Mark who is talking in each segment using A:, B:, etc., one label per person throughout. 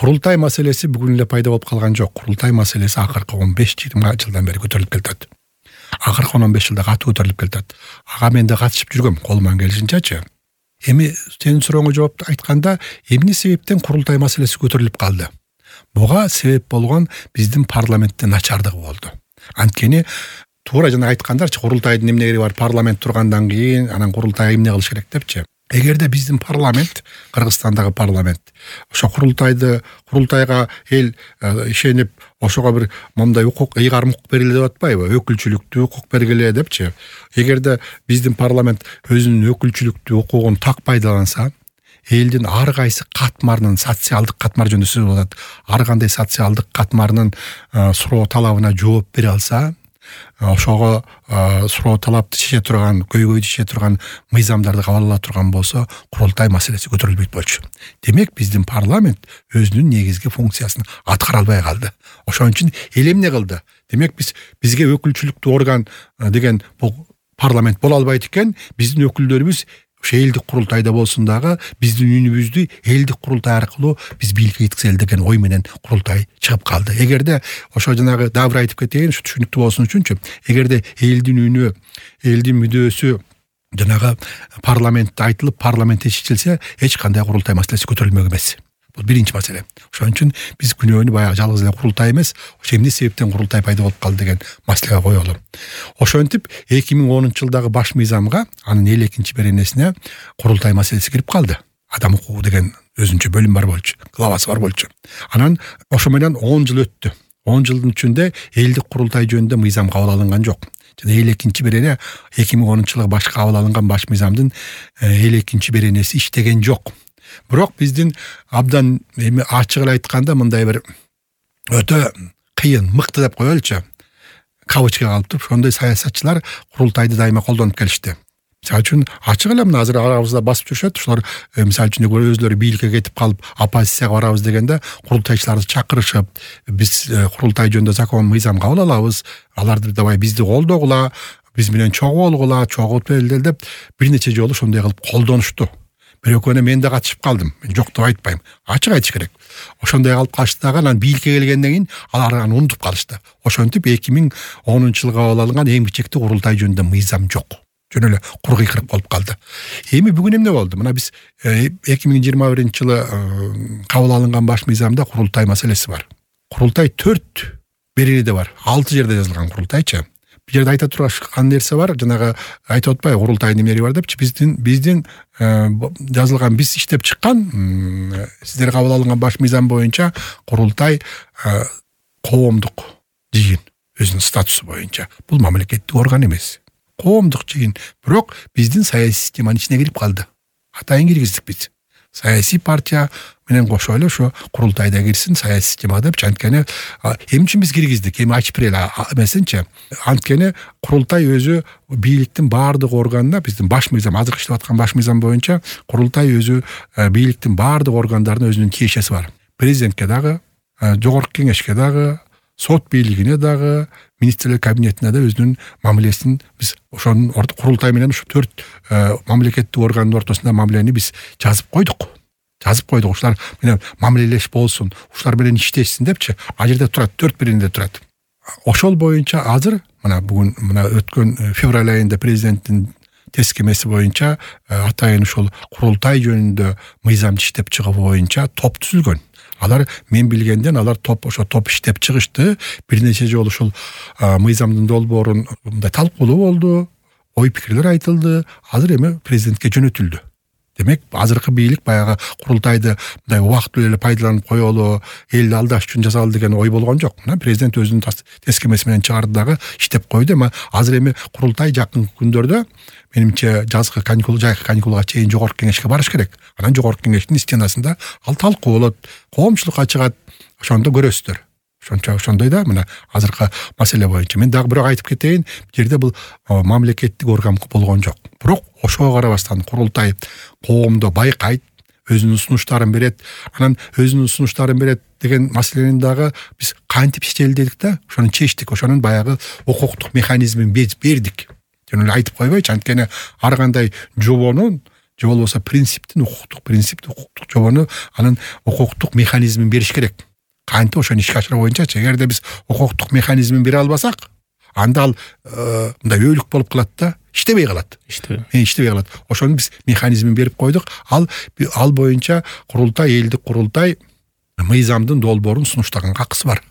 A: Курултай маселеси бүгүн эле пайда болуп калган жок. Курултай маселеси акыркы 15-20 жылдан бери көтөрүлүп келатат. Акыркы 15 жылда катуу көтөрүлүп келатат. Ага мен да катышып жүргөм, колуман келишинчечи. Эми сенин сурооңо жооп айтканда, эмне себептен курултай маселеси көтөрүлүп калды? Буга себеп болгон биздин парламенттин начардыгы болду. Анткени туура жана айткандарчы, курултайдын эмне кереги бар, парламент тургандан кийин анан курултай эмне кылыш керек депчи. Эгерде биздин парламент, Кыргызстандагы парламент, ошо курултайга эл ишенип, ошого бир мондай укук, ыйгарым укук бергиле деп атпайбы? Өкүлчүлүктүү укук бергиле депчи. Эгерде биздин парламент өзүнүн өкүлчүлүктүү укугун так пайдаланса, элдин ар кайсы катмарынын, социалдык катмар жөнүндө сөз болот, ар кандай социалдык катмарынын суроо талабына жооп бере алса, ошого суроо талапты чече турган, көйгөйдү чече турган мыйзамдарды кабыл ала турган болсо, курултай маселеси көтөрүлбөйт болчу. Демек биздин парламент өзүнүн негизги функциясын аткара албай калды. Ошон үчүн эл эмне кылды? Демек бизге өкүлчүлүктүү орган деген бул парламент боло албайт экен, биздин өкүлдөрүбүз ошо элдик курултайда болсун дагы биздин үнүбүздү элдик курултай аркылуу биз бийликке жеткизели деген ой менен курултай чыгып калды. Эгерде ошо жанагы дабыр айтып кетейин, ушу түшүнүктүү болсун үчүнчү, эгерде элдин үнү, элдин мүдөөсү жанагы парламентте айтылып, парламентте чечилсе, эч кандай курултай маселеси көтөрүлмөк эмес. Бул биринчи маселе. Ошон үчүн биз күнөөнү баягы жалгыз эле курултай эмес, ошо эмне себептен курултай пайда болуп калды деген маселеге коелу. Ошентип 2010-жылдагы баш мыйзамга, анын 52-чи беренесине курултай маселеси кирип калды. Адам укугу деген өзүнчө бөлүм бар болчу, главасы бар болчу. Анан ошо менен 10 жыл өттү. 10 жылдын ичинде элдик курултай жөнүндө мыйзам кабыл алынган жок. Жана 52-чи берене 2010-жылы баш кабыл алынган баш мыйзамдын 52-чи беренеси иштеген жок. Бирок биздин абдан ачык эле айтканда мындай бир өтө кыйын, мыкты деп коелучу, кавычка калып туруп, ошондой саясатчылар курултайды дайыма колдонуп келишти. Мисалы үчүн ачык эле мына азыр арабызда басып жүрүшөт, ушулар мисалы үчүн өзлөрү бийликке кетип калып, оппозицияга барабыз дегенде курултайчыларды чакырышып, биз курултай жөнүндө закон, мыйзам кабыл алабыз, аларды давай бизди колдогула, биз менен чогуу болгула, чогуу белдел деп бир нече жолу ошондой кылып колдонушту. Бирөкөнө мен да катышып калдым. Мен жок деп айтпайм. Ачык айтыш керек. Ошондой калып калышты дагы, анан бийликке келгенден кийин алар аны унутуп калышты. Ошентип 2010-жылы кабыл алынган эң чекти курултай жөнүндө мыйзам жок. Жөн эле кур кыйкырык болуп калды. Эми бүгүн эмне болду? Мына биз 2021-жылы кабыл алынган баш мыйзамда курултай маселеси бар. Курултай 4 беренеде бар. 6 жерде жазылган курултайчы. Бир жерде айта турган нерсе бар, жанагы айтып атпайбы, курултайдын эмери бар депчи, биздин жазылган, биз иштеп чыккан, сиздер кабыл алынган баш мыйзам боюнча курултай коомдук жыйын, өзүнүн статусу боюнча. Бул мамлекеттик орган эмес. Коомдук жыйын, бирок биздин саясий системанын ичине кирип калды. Атайын киргиздик биз. Саясий партия менен кошо эле ошо курултайда кирсин, саясий системага депчи. Анткени эмне үчүн биз киргиздик? Эми ачып берели эмесинчи. Анткени курултай өзү бийликтин баардык органына, биздин баш мыйзам, азыр иштеп аткан баш мыйзам боюнча курултай өзү бийликтин баардык органдарына өзүнүн тиешеси бар. Президентке дагы, жогорку кеңешке дагы, сот бийлигине дагы, министрлер кабинетине да өзүнүн мамилесин биз ошонун курултай менен ушу 4 мамлекеттик органдын ортосунда мамилени биз жазып койдук. Ушулар менен мамилелеш болсун, ушулар менен иштешсин депчи. А жерде турат, 4 беренеде турат. Ошол боюнча азыр мына бүгүн өткөн февраль айында президенттин тескемеси боюнча атайын ушул курултай жөнүндө мыйзам иштеп чыгуу боюнча топ түзүлгөн. Алар мен билгенден ошо топ иштеп чыгышты. Бир нече жолу ушул мыйзамдын долбоорун мындай талкуулоо болду, ой пикирлер айтылды. Азыр эми президентке жөнөтүлдү. Демек, азыркы бийлик баягы курултайды мындай убактылуу эле пайдаланып коелу, элди алдаш үчүн жасалды деген ой болгон жок. Мына президент өзүнүн тескемеси менен чыгарды дагы иштеп койду. Эми азыр эми курултай жакын күндөрдө менимче жайкы каникулга чейин жогорку кеңешке барыш керек. Анан жогорку кеңештин стенасында ал талкууланат, коомчулукка чыгат. Ошондо көрөсүздөр. Ошондой да мына азыркы маселе боюнча. Мен дагы бирок айтып кетейин, бул жерде бул мамлекеттик орган болгон жок. Бирок ошого карабастан курултай коомдо байкайт, өзүнүн сунуштарын берет. Анан өзүнүн сунуштарын берет деген маселени дагы биз кантип чечели дедик да, ошону чечтик. Ошонун баягы укуктук механизмин бердик. Жөн эле айтып койбойчу, анткени ар кандай жобонун же болбосо укуктук жобону анын укуктук механизмин бериш керек. Кантип ошону ишке ашыруу боюнчачы, эгерде биз укуктук механизмин бере албасак, анда ал мындай өөлүк болуп калат да, иштебей калат. Ошону биз механизмин берип койдук. Ал боюнча элдик курултай мыйзамдын долбоорун сунуштаганга акысы бар.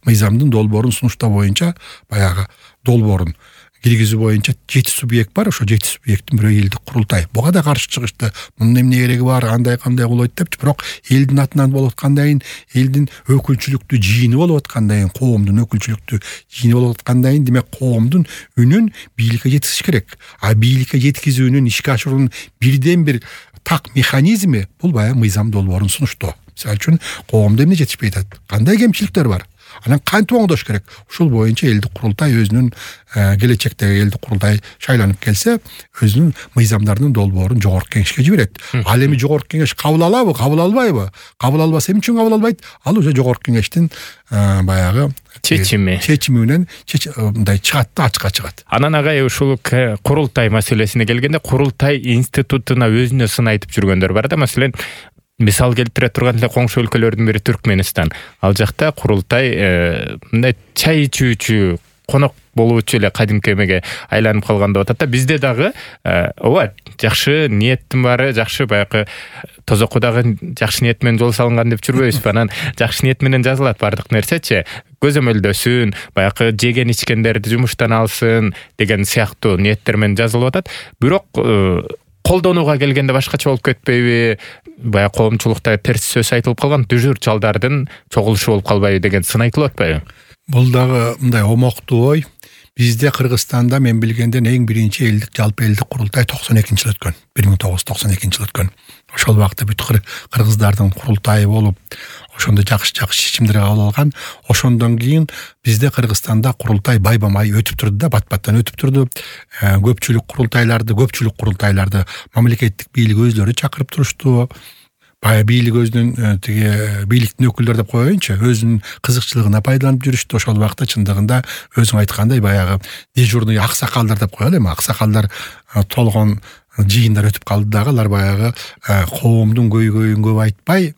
A: Мыйзамдын долбоорун сунуштоо боюнча баягы долбоорун киргизүү боюнча 7 субъект бар. Ошо 7 субъекттин бирөө элдик курултай. Буга да каршы чыгышты. Мунун эмне кереги бар, кандай болот депчи. Бирок элдин атынан болуп аткандан кийин, элдин өкүлчүлүктүү жыйыны болуп аткандан кийин, коомдун өкүлчүлүктүү жыйыны болуп аткандан кийин, демек коомдун үнүн бийликке жеткизиш керек. А бийликке жеткизүүнүн, ишке ашыруунун бирден бир так механизми бул баягы мыйзам долбоорун сунуштоо. Мисалы үчүн коомдо эмне жетишпей атат, кандай кемчиликтер бар, анан кантип оңдош керек. Ушул боюнча элдик курултай өзүнүн келечектеги элдик курултай шайланып келсе, өзүнүн мыйзамдарынын долбоорун жогорку кеңешке жиберет. Ал эми жогорку кеңеш кабыл алабы, кабыл албайбы? Кабыл албаса эмне үчүн кабыл албайт? Ал уже жогорку кеңештин баягы чечими менен мындай чыгат да, ачыкка чыгат.
B: Анан агай ушул курултай маселесине келгенде, курултай институтуна өзүнө сын айтып жүргөндөр бар да. Маселен, мисал келтире турган эле коңшу өлкөлөрдүн бири Түркмөнстан. Ал жакта курултай мындай чай ичүүчү, конок болуучу эле кадимки эмеге айланып калган деп атат да. Бизде дагы ооба, жакшы ниеттин баары, жакшы баягы тозокко дагы жакшы ниет менен жол салынган деп жүрбөйбүзбү? Анан жакшы ниет менен жазылат бардык нерсечи. Көзөмөлдөсүн, баягы жеген ичкендерди жумуштан алсын деген сыяктуу ниеттер менен жазылып атат. Бирок колдонууга келгенде башкача болуп кетпейби? Баягы коомчулукта терс сөз айтылып калган, дүжүр чалдардын чогулушу болуп калбайбы деген сын айтылып атпайбы?
A: Бул дагы мындай омоктуу ой. Бизде Кыргызстанда мен билгенден эң биринчи жалпы элдик курултай 92-жылы өткөн. 1992-жылы өткөн. Ошол убакта бүт кыргыздардын курултайы болуп, ошондо жакшы чечимдер кабыл алган. Ошондон кийин бизде Кыргызстанда курултай байбамай өтүп турду да, бат-баттан өтүп турду. Көпчүлүк курултайларды мамлекеттик бийлик өзлөрү чакырып турушту. Бая бийлик өзүнүн бийликтин өкүлдөрү деп коеюнчу, өзүнүн кызыкчылыгына пайдаланып жүрүштү. Ошол убакта чындыгында өзүң айткандай баягы дежурный аксакалдар деп коелу эми. Аксакалдар толгон жыйындар өтүп калды дагы, алар баягы коомдун көйгөйүн көп айтпай,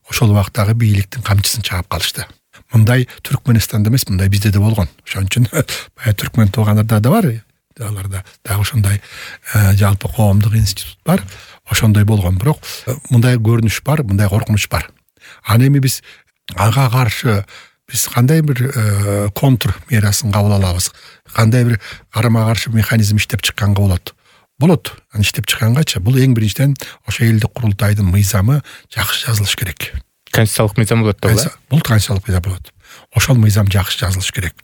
A: ошол убактагы бийликтин камчысын чаап калышты. Мындай Түркмөнстанда эмес, мындай бизде да болгон. Ошон үчүн баягы түркмөн туугандарда да бар. Аларда дагы ошондой жалпы коомдук институт бар. Ошондой болгон, бирок мындай көрүнүш бар, мындай коркунуч бар. Аны эми биз ага каршы кандай бир контр мерасын кабыл алабыз? Кандай бир карама каршы механизм иштеп чыкканга болот. Аны иштеп чыккангачы бул эң биринчиден ошо элдик курултайдын мыйзамы жакшы жазылыш керек.
B: Конституциялык мыйзам болот да.
A: Бул конституциялык мыйзам болот. Ошол мыйзам жакшы жазылыш керек.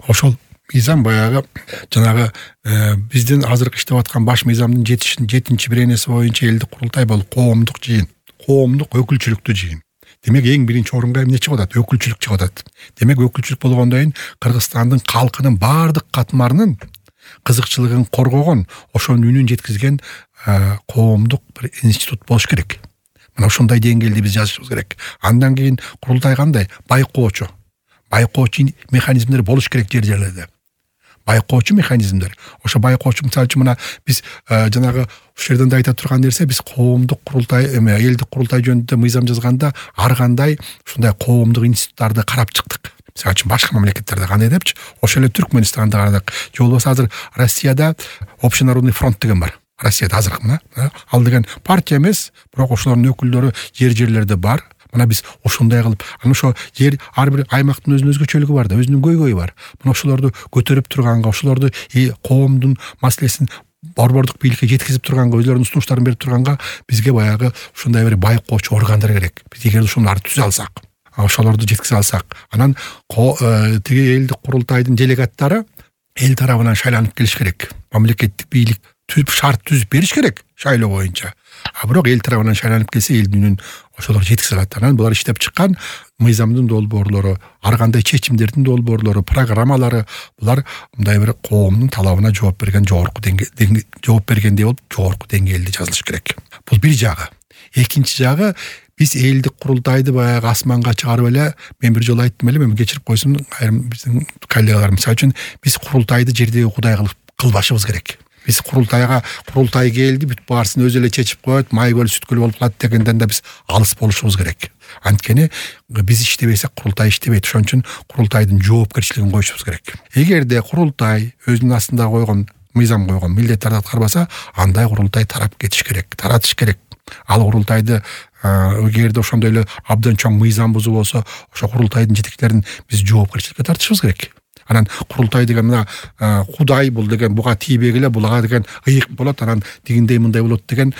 A: Ошол мыйзам баягы жанагы биздин азыркы иштеп аткан баш мыйзамдын 7-чи беренеси боюнча элдик курултай бул коомдук жыйын, коомдук өкүлчүлүктүү жыйын. Демек эң биринчи орунга эмне чыгып атат? Өкүлчүлүк чыгып атат. Демек өкүлчүлүк болгондон кийин Кыргызстандын калкынын бардык катмарынын кызыкчылыгын коргогон, ошонун үнүн жеткизген коомдук бир институт болуш керек. Мына ошондой деңгээлде биз жазышыбыз керек. Андан кийин курултай кандай? Байкоочу механизмдер болуш керек жерлерде. Байкоочу механизмдер. Ошо байкоочу мисалы үчүн мына биз жанагы ушул жерден да айта турган нерсе, биз коомдук курултай, элдик курултай жөнүндө мыйзам жазганда ар кандай ушундай коомдук институттарды карап чыктык. Мисалы үчүн башка мамлекеттерде кандай депчи, ошо эле Түркмөнстанда карадык. Же болбосо азыр Россияда Общенародный фронт деген бар. Россияда азыркы мына. Ал деген партия эмес, бирок ошолордун өкүлдөрү жерлерде бар. Мына биз ошондой кылып, аны ошо жер ар бир аймактын өзүнүн өзгөчөлүгү бар да, өзүнүн көйгөйү бар. Мына ошолорду көтөрүп турганга, ошолорду коомдун маселесин борбордук бийликке жеткизип турганга, өзлөрүнүн сунуштарын берип турганга бизге баягы ушундай бир байкоочу органдар керек. Биз эгер ошолорду түзө алсак, ошолорду жеткизе алсак, анан тиги элдик курултайдын делегаттары эл тарабынан шайланып келиш керек. Мамлекеттик бийлик шарт түзүп бериш керек шайлоо боюнча. Бирок эл тарабынан шайланып келсе, элдин үнүн ошолор жеткизе алат. Анан булар иштеп чыккан мыйзамдын долбоорлору, ар кандай чечимдердин долбоорлору, программалары, булар мындай бир коомдун талабына жооп берген жооп бергендей болуп, жогорку деңгээлде жазылыш керек. Бул бир жагы. Экинчи жагы, биз элдик курултайды баягы асманга чыгарып эле, мен бир жолу айттым эле, мен кечирип койсун, айрым биздин коллегалар, мисалы үчүн биз курултайды жердеги кудай кылбашыбыз керек. Биз курултай келди, бүт баарысын өзү эле чечип коет, майгөл сүткөл болуп калат дегенден да биз алыс болушубуз керек. Анткени биз иштебесек курултай иштебейт. Ошон үчүн курултайдын жоопкерчилигин коюшубуз керек. Эгерде курултай өзүнүн астында койгон мыйзам койгон милдеттерди аткарбаса, андай курултай тарап кетиш керек, таратыш керек. Ал курултайды эгерде ошондой эле абдан чоң мыйзам бузуу болсо, ошо курултайдын жетекчилерин биз жоопкерчиликке тартышыбыз керек. Анан курултай деген мына Кудай бул деген буга тийбегиле, булага деген ыйык болот, анан тигиндей мындай болот деген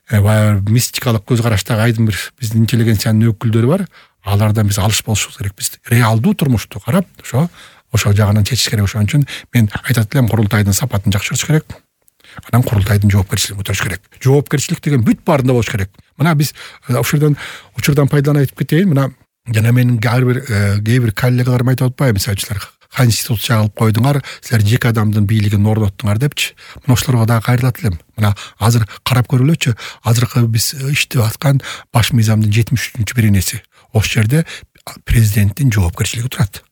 A: мистикалык көз караштагы айдын бир биздин интеллигенциянын өкүлдөрү бар. Алардан биз алыш болушубуз керек. Биз реалдуу турмушту карап, ошол жагынан чечиш керек. Ошон үчүн мен айтат элем, курултайдын сапатын жакшыртыш керек. Анан курултайдын жоопкерчилигин көтөрүш керек. Жоопкерчилик деген бүт баарында болуш керек. Мына биз ошол учурдан пайдаланып айтып кетейин. Мына жана менин кээ бир коллегаларым айтып атпайбы, мисалчылар конституция кылып койдуңар, силер жеке адамдын бийлигин орноттуңар депчи. Мына ошолорго дагы кайрылат элем. Мына азыр карап көрүлөчү. Азыркы биз иштеп аткан баш мыйзамдын 73-беренеси. Ошол жерде президенттин жоопкерчилиги турат.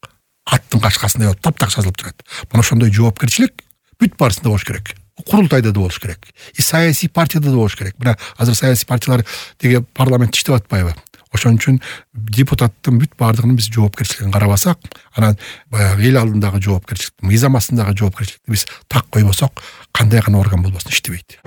A: Аттын кашкасындай болуп таптак жазылып турат. Мына ошондой жоопкерчилик бүт баарысында болуш керек. Курултайда да болуш керек. И саясий партияда да болуш керек. Мына азыр саясий партиялар деге парламентте иштеп атпайбы? Ошон үчүн депутаттын бүт баардыгынын биз жоопкерчилигин карабасак, анан баягы эл алдындагы жоопкерчилик, мыйзам астындагы жоопкерчиликти биз так койбосок, кандай гана орган болбосун иштебейт.